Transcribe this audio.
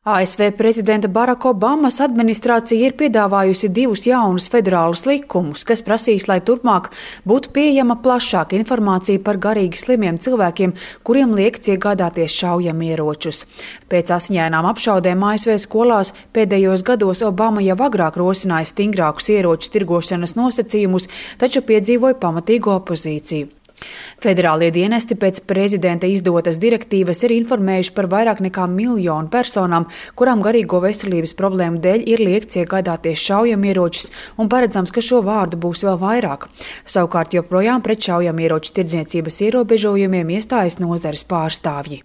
ASV prezidenta Baraka Obamas administrācija ir piedāvājusi divus jaunus federālus likumus, kas prasīs, lai turpmāk būtu pieejama plašāka informācija par garīgi slimiem cilvēkiem, kuriem liekts iegādāties šaujamieročus. Pēc asiņainām apšaudēm ASV skolās pēdējos gados Obama jau agrāk rosināja stingrākus ieroču tirgošanas nosacījumus, taču piedzīvoja pamatīgu opozīciju. Federālie dienesti pēc prezidenta izdotas direktīvas ir informējuši par vairāk nekā 1 miljonu personām, kurām garīgo veselības problēmu dēļ ir liekts iegādāties šaujamieročus, un paredzams, ka šo vārdu būs vēl vairāk. Savukārt joprojām pret šaujamieroču tirdzniecības ierobežojumiem iestājas nozares pārstāvji.